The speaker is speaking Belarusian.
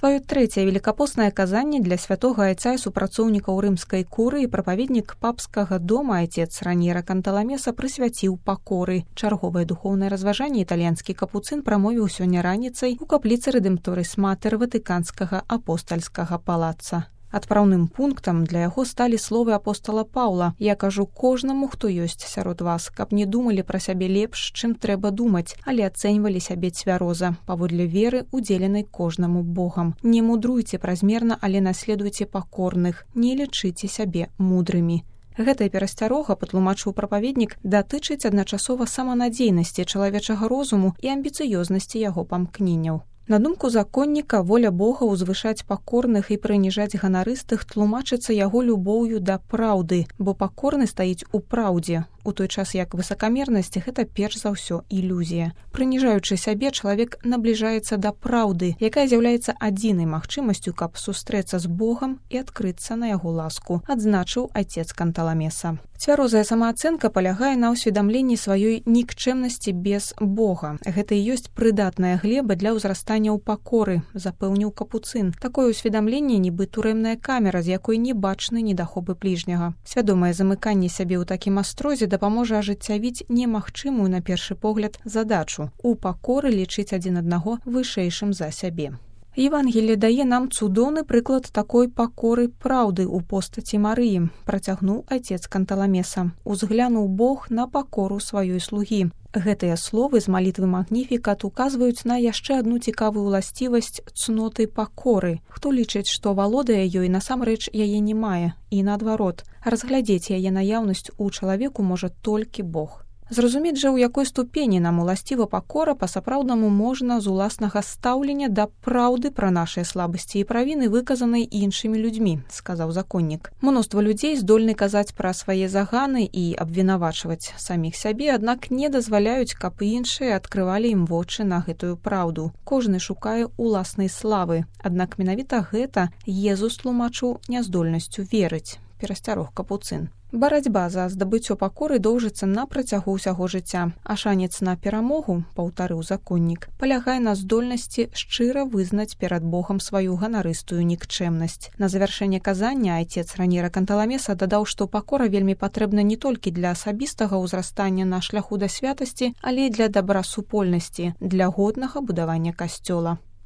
Сваё трэцяе велікапоснае казанне для святога айца і супрацоўнікаў рымскай курыі прапаведнік папскага дома айцец Раньера Канталамеса прысвяціў пакоры. Чарговае духоўнае разважанне італьянскі капуцын прамовіў сёння раніцай у капліцы Рэдэмпторыс Матэр Ватыканскага апостальскага палаца. Адпраўным пунктам для яго сталі словы апостала Паўла: «Я кажу кожнаму, хто ёсць сярод вас, каб не думалі пра сябе лепш, чым трэба думаць, але ацэньвалі сябе цвяроза, паводле веры, удзеленай кожнаму Богам. Не мудруйце празмерна, але наследуйце пакорных, не лічыце сябе мудрымі». Гэтая перасцярога, патлумачыў прапаведнік, датычыць адначасова саманадзейнасці чалавечага розуму і амбіцыёзнасці яго памкненняў. На думку законніка, воля Бога ўзвышаць пакорных і прыніжаць ганарыстых тлумачыцца яго любоўю да праўды, бо пакорны стаіць у праўдзе, у той час як высакамернасць – гэта перш за ўсё ілюзія. Прыніжаючы сябе, чалавек набліжаецца да праўды, якая з'яўляецца адзінай магчымасцю, каб сустрэцца з Богам і адкрыцца на яго ласку, адзначыў айцец Канталамеса. Цвярозая самаацэнка палягае на ўсведамленні сваёй нікчэмнасці без Бога. Гэта і ёсць прыдатная глеба для ўзрастання ў пакоры, запэўніў капуцын. Такое ўсведамленне нібы турэмная камера, з якой не бачны недахопы бліжняга. Свядомае замыканне сябе ў такім астрозе дапаможа ажыццявіць немагчымую на першы погляд задачу – у пакоры лічыць адзін аднаго вышэйшым за сябе. Евангелие дае нам цудоўны прыклад такой пакоры праўды ў постаці Марыі, працягнуў айцец Канталамеса. Узглянуў Бог на пакору сваёй слугі. Гэтыя словы з малітвы Магніфікат указваюць на яшчэ адну цікавую ўласцівасць цноты пакоры. Хто лічыць, што валодае ёй, насамрэч яе не мае, і наадварот, разглядзець яе наяўнасць у чалавеку можа толькі Бог. Зразумець жа, у якой ступені нам уласціва пакора па-сапраўднаму можна з уласнага стаўлення да праўды пра нашыя слабасці і правіны, выказанай іншымі людзьмі, сказаў законнік. Мноства людзей здольны казаць пра свае заганы і абвінавачваць саміх сябе, аднак не дазваляюць, каб іншыя адкрывалі ім вочы на гэтую праўду. Кожны шукае уласнай славы, аднак менавіта гэта Езус тлумачыў няздольнасцю верыць, перасцярог капуцын. Барацьба за здабыццё пакоры доўжыцца на працягу ўсяго жыцця, а шанец на перамогу, паўтарыў законнік, палягае на здольнасці шчыра вызнаць перад Богам сваю ганарыстую нікчэмнасць. На завяршэнне казання айцец Раньера Канталамеса дадаў, што пакора вельмі патрэбна не толькі для асабістага ўзрастання на шляху да святасці, але і для добрасупольнасці, для годнага будавання касцёла.